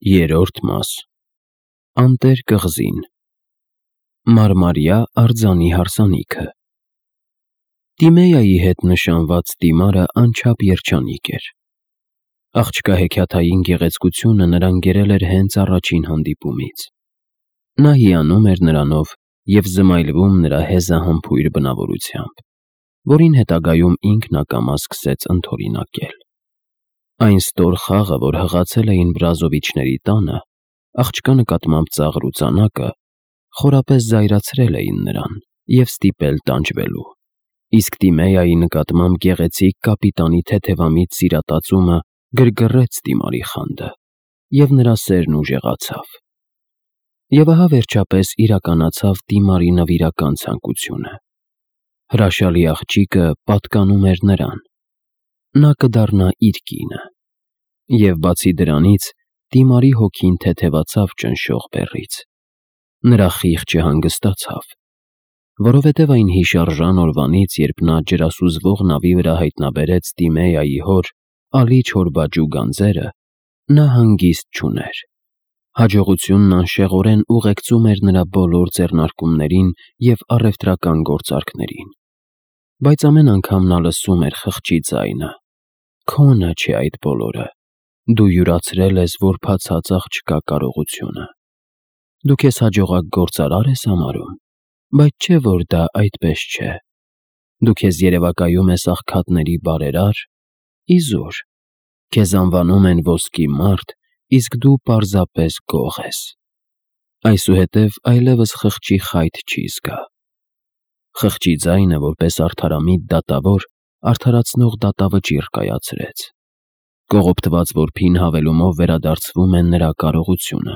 Երրորդ մաս Անտեր կղզին Մարմարյա արձանի հարսանիքը Տիմեայի հետ նշանված տիմարը անչափ երջանիկ էր։ Աղջկա հեքիաթային գեղեցկությունը նրան գերել էր հենց առաջին հանդիպումից։ Նա հիանում էր նրանով և զմայլվում նրա հեզահամբույր բնավորությամբ, որին հետագայում ինքն ակամա սկսեց ընդօրինակել։ Այն ստոր խաղը, որ հղացել էին Բրազովիչների տանը, աղջկա նկատմամբ ծաղր ու ծանակը, խորապես զայրացրել էին նրան և ստիպել տանջվելու, իսկ Տիմեայի նկատմամբ գեղեցիկ կապիտանի թեթևամիտ սիրատածումը գրգռեց տիմարի խանդը, և նրա սերն ուժեղացավ։ Եվ ահա վերջապես իրականացավ տիմարի նվիրական ցանկությունը։ Հրաշալի աղջիկը պատկանում էր նրան։ Նա կդառնա իր կինը։ Եվ բացի դրանից, Տիմարի հոգին թեթևացավ ճնշող բեռից։ Նրա խիղճը հանգստացավ, որովհետև այն հիշարժան օրվանից, երբ նա ջրասուզվող նավի վրա հայտնաբերեց Տիմեայի հոր Ալի Չորբաջու գանձերը, նա հանգիստ չուներ։ Հաջողությունն անշեղորեն ուղեկցում էր նրա բոլոր ձեռնարկումներին և առևտրական գործարքներին։ Բայց ամեն անգամ նա լսում էր խղճի ձայնը. «Քոնը չէ այդ բոլորը, դու յուրացրել ես որբացած աղջկա կարողությունը։ Դու քեզ հաջողակ գործարար ես համարում, բայց չէ՞ որ դա այդպես չէ։ Դու քեզ երևակայում ես աղքատների բարերար։ Իզուր, քեզ անվանում են ոսկի մարդ, իսկ դու պարզապես գող ես»։ Այսուհետև այլևս խղճի խայթ չի զգա։ Խղճի ձայնը, որպես արդարամիտ դատավոր, արդարացնող դատավճիռ կայացրեց։ Կողոպտված որբին հավելումով վերադարձվում է նրա կարողությունը։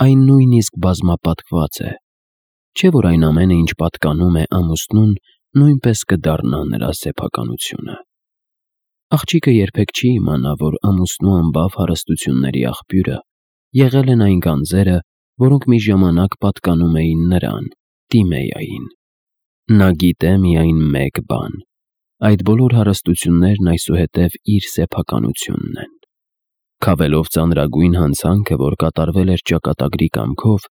Այն նույնիսկ բազմապատկված է։ Չէ՞ որ այն ամենը, ինչ պատկանում է ամուսնուն, նույնպես կդառնա նրա սեփականությունը։ Աղջիկը երբեք չի իմանա, որ ամուսնու անբավ հարստությունների աղբյուրը եղել են այն գանձերը, որոնք մի ժամանակ պատկանում էին նրան, Տիմեային։ Նա գիտե միայն մեկ բան. այդ բոլոր հարստություններն այսուհետև իր սեփականությունն են։ Քավելով ծանրագույն հանցանքը, որ կատարվել էր ճակատագրի կամքով,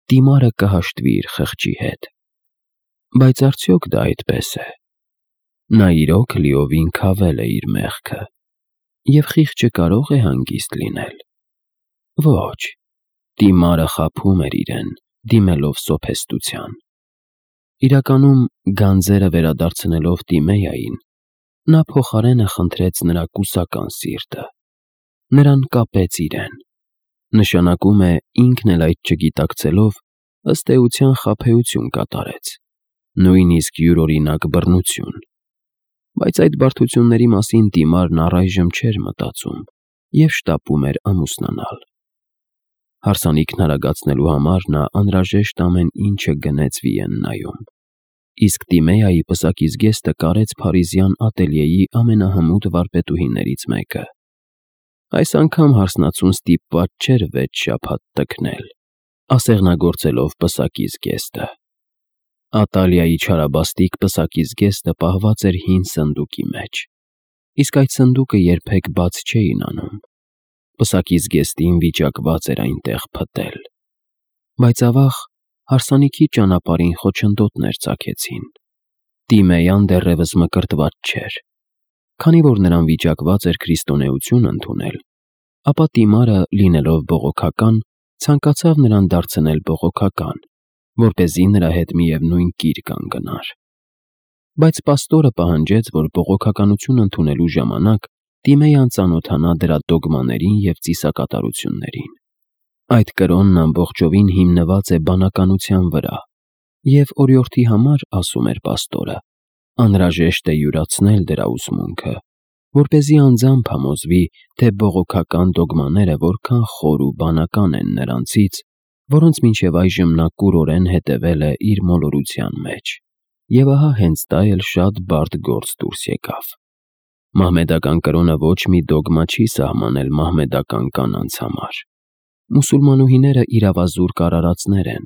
Տիմարը կհաշտվի իր խղճի հետ։ Բայց արդյոք դա այդպես է։ Նա իրոք լիովին քավել է իր մեղքը, և խիղճը կարո՞ղ է հանգիստ լինել։ Ոչ, Տիմարը խաբում էր իրեն, դիմելով սոփեստության։ Իրականում, գանձերը վերադարձնելով Տիմեային, նա փոխարենը խնդրեց նրա կուսական սիրտը։ Նրան կապեց իրեն։ Նշանակում է, ինքն էլ այդ չգիտակցելով, ըստ էության խաբեություն կատարեց, նույնիսկ յուրօրինակ բռնություն։ Բայց այդ բարդությունների մասին Տիմարն առայժմ չէր մտածում և շտապում էր ամուսնանալ։ Հարսանիքն արագացնելու համար նա անհրաժեշտ ամեն ինչը գնեց Վիեննայում, իսկ Տիմեայի պսակի զգեստը կարեց փարիզյան ատելյեի ամենահմուտ վարպետուհիներից մեկը։ Այս անգամ հարսնացուն ստիպված չէր 6 շաբաթ տքնել, ասեղնագործելով պսակի զգեստը։ Ատալիայի չարաբաստիկ պսակի զգեստը պահված էր հին սնդուկի մեջ, իսկ այդ սնդուկը երբեք բաց չէին անում։ Պսակի զգեստին վիճակված էր այնտեղ փտել։ Բայց ավաղ, հարսանիքի ճանապարհին խոչընդոտներ ծագեցին։ Տիմեյան դեռևս մկրտված չէր։ Քանի որ նրան վիճակված էր քրիստոնեություն ընդունել, ապա Տիմարը, լինելով բողոքական, ցանկացավ նրան դարձնել բողոքական, որպեսզի նրա հետ միևնույն կիր կանգնար։ Բայց պաստորը պահանջեց, որ բողոքականություն ընդունելու ժամանակ Տիմեյան ծանոթանա դրա դոգմաներին և ծիսակատարություններին։ Այդ կրոնն ամբողջովին հիմնված է բանականության վրա, և օրիորդի համար, ասում էր պաստորը, անհրաժեշտ է յուրացնել դրա ուսմունքը, որպեսզի անձամբ համոզվի, թե բողոքական դոգմաները որքան խոր ու բանական են նրանցից, որոնց մինչև այժմ նա կուրորեն հետևել է իր մոլորության մեջ։ Եվ ահա հենց դա էլ շատ բարդ գործ դուրս եկավ։ Մահմեդական կրոնը ոչ մի դոգմա չի սահմանել մահմեդական կանանց համար։ Մուսուլմանուհիները իրավազուրկ արարածներ են։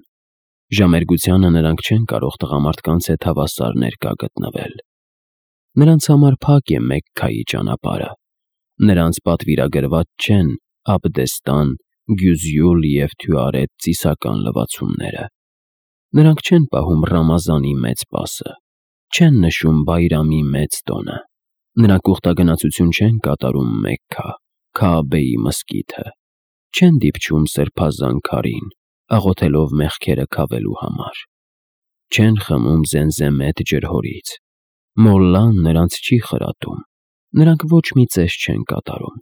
Ժամերգությանը նրանք չեն կարող տղամարդկանց հետ հավասար ներկա գտնվել։ Նրանց համար փակ է Մեքքայի ճանապարհը։ Նրանց պատվիրագրված չեն Աբդեստան, գյուզյուլ և թյուարետ ծիսական լվացումները։ Նրանք չեն պահում Ռամազանի մեծ պասը, չեն նշում Բայրամի մեծ տոնը, նրանք ուխտագնացություն չեն կատարում Մեքքա, Քաաբեի մզկիթը, չեն դիպչում սրբազան քարին, աղոթելով մեղքերը քավելու համար, չեն խմում Զենզեմեթ ջրհորից, մոլլան նրանց չի խրատում, նրանք ոչ մի ծես չեն կատարում,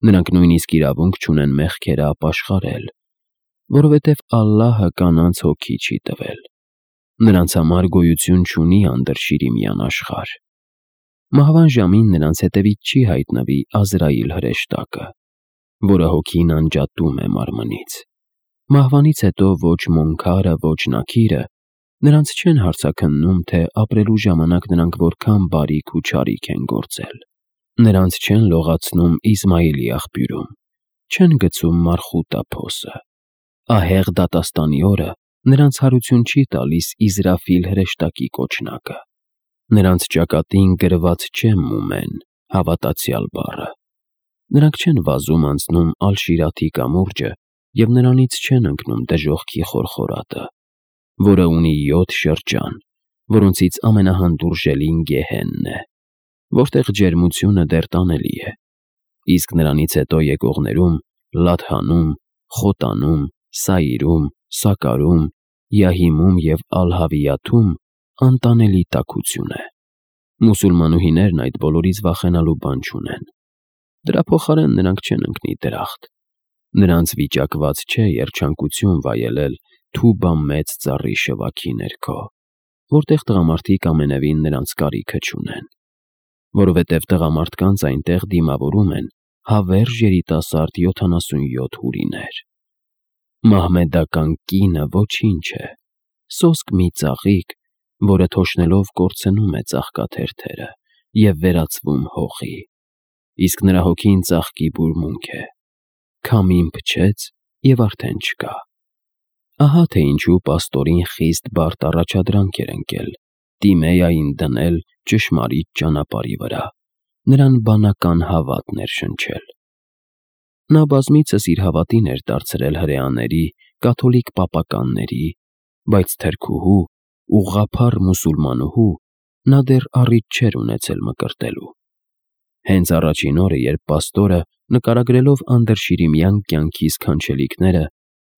նրանք նույնիսկ իրավունք չունեն մեղքերը ապաշխարել, որովհետև Ալլահը կանանց հոգի չի տվել, նրանց համար գոյություն չունի անդրշիրիմյան աշխարհ։ Մահվան ժամին նրանց հետևից չի հայտնվի Ազրայիլ հրեշտակը, որը հոգին անջատում է մարմնից։ Մահվանից հետո ոչ Մոնքարը, ոչ Նաքիրը նրանց չեն հարցաքննում, թե ապրելու ժամանակ նրանք որքան բարիք ու չարիք են գործել։ Նրանց չեն լողացնում Իսմայիլի աղբյուրում, չեն գցում Մարխուտա փոսը։ Ահեղ դատաստանի օրը նրանց հարություն չի տալիս Իզրաֆիլ հրեշտակի կոչնակը։ Նրանց ճակատին գրված չէ Մումեն, հավատացյալ բառը։ Նրանք չեն վազում անցնում Ալ-Շիրաթի կամուրջը և նրանից չեն ընկնում դժոխքի խորխորատը, որը ունի 7 շրջան, որոնցից ամենահանդուրժելին Գեհենն է, որտեղ ջերմությունը դեռ տանելի է, իսկ նրանից հետո եկողներում Լադհանում, Խոտանում, Սայիրում, Սակարում, Յահիմում և Ալ-Հավիաթում անտանելի տաքություն է։ Մուսուլմանուհիներն այդ բոլորից վախենալու բան չունեն։ Դրա փոխարեն նրանք չեն ընկնի դրախտ։ Նրանց վիճակված չէ երջանկություն վայելել Թուբա մեծ ծառի շվաքի ներքո, որտեղ տղամարդիկ ամենևին նրանց կարիքը չունեն, որովհետև տղամարդկանց այնտեղ դիմավորում են հավերժ երիտասարդ 77 հուրիներ։ Մահմեդական կինը ոչինչ է, սոսկ մի ծաղիկ, որը թոշնելով կորցնում է ծաղկաթերթերը և վերածվում հողի, իսկ նրա հոգին ծաղկի բուրմունք է, քամին փչեց և արդեն չկա։ Ահա թե ինչու պաստորին խիստ բարդ առաջադրանք էր ընկել Տիմեային դնել ճշմարիտ ճանապարհի վրա, նրան բանական հավատ ներշնչել։ Նա բազմիցս իր հավատին էր դարձրել հրեաների, կաթոլիկ պապականների, բայց թրքուհու, ուղղափառ մուսուլմանուհու նա դեռ առիթ չէր ունեցել մկրտելու։ Հենց առաջին օրը, երբ պաստորը, նկարագրելով անդրշիրիմյան կյանքի սքանչելիքները,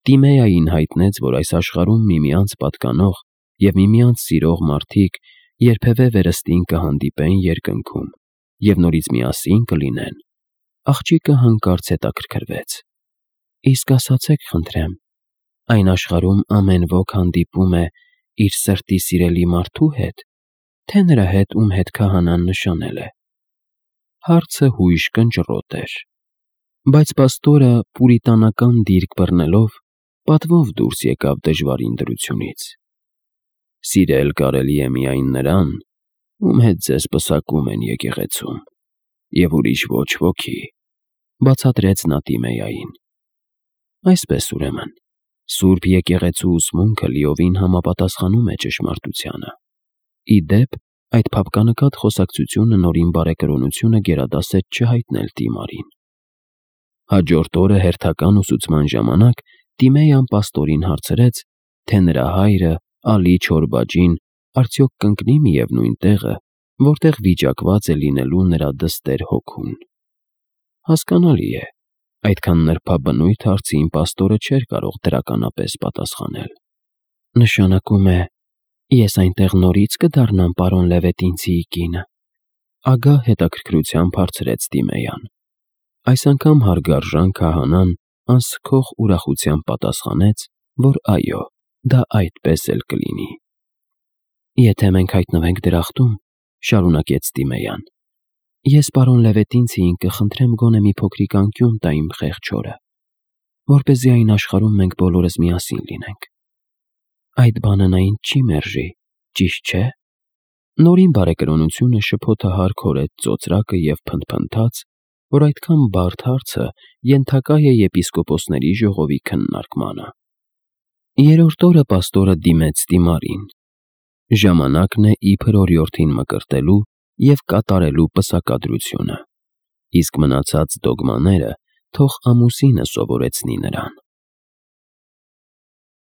Տիմեային հայտնեց, որ այս աշխարհում միմյանց պատկանող և միմյանց սիրող մարդիկ երբևէ վերստին կհանդիպեն երկնքում և նորից միասին կլինեն, աղջիկը հանկարծ հետաքրքրվեց. «Իսկ ասացեք խնդրեմ, այն աշխարհում ամեն ոք հանդիպում է իր սրտի սիրելի մարդու հետ, թե նրա հետ, ում հետ քահանան նշանել է»։ Հարցը հույժ կնճռոտ էր, բայց պաստորը պուրիտանական դիրք բռնելով պատվով դուրս եկավ դժվարին դրությունից։ «Սիրել կարելի է միայն նրան, ում հետ ձեզ պսակում են եկեղեցում, և ուրիշ ոչ ոքի», բացատրեց նա Տիմեային։ Այսպես ուրեմն, Սուրբ Եկեղեցու ուսմունքը լիովին համապատասխանում է ճշմարտությանը։ Ի դեպ, այդ փափկանկատ խոսակցությունը Նորին բարեկրոնությունը գերադասեց չհայտնել Տիմարին։ Հաջորդ օրը հերթական ուսուցման ժամանակ Տիմեյան պաստորին հարցրեց, թե նրա հայրը Ալի Չորբաջին արդյոք կընկնի միևնույն տեղը, որտեղ վիճակված է լինելու նրա դստեր հոգուն։ Հասկանալի է, այդքան նրբաբնույթ հարցին պաստորը չէր կարող դրականապես պատասխանել։ Նշանակում է, ես այնտեղ նորից կդառնամ պարոն Լևետինցիի կինը, ագահ հետաքրքրությամբ հարցրեց Տիմեյան։ Այս անգամ հարգարժան քահանան անսքող ուրախությամբ պատասխանեց, որ այո, դա այդպես էլ կլինի։ Եթե մենք հայտնվենք դրախտում, շարունակեց Տիմեյան, ես պարոն Լևետինցիին կխնդրեմ գոնե մի փոքրիկ անկյուն տա իմ խեղճ հորը, որպեսզի այն աշխարհում մենք բոլորս միասին լինենք։ Այդ բանը նա ինձ չի մերժի, ճիշտ չէ՞։ Նորին բարեկրոնությունը շփոթահար քորեց ծոծրակը և փնթփնթաց, որ այդքան բարդ հարցը ենթակա է եպիսկոպոսների ժողովի քննարկմանը։ Երրորդ օրը պաստորը դիմեց Տիմարին։ Ժամանակն է իբր օրիորդին մկրտելու և կատարելու պսակադրությունը, իսկ մնացած դոգմաները թող ամուսինը սովորեցնի նրան։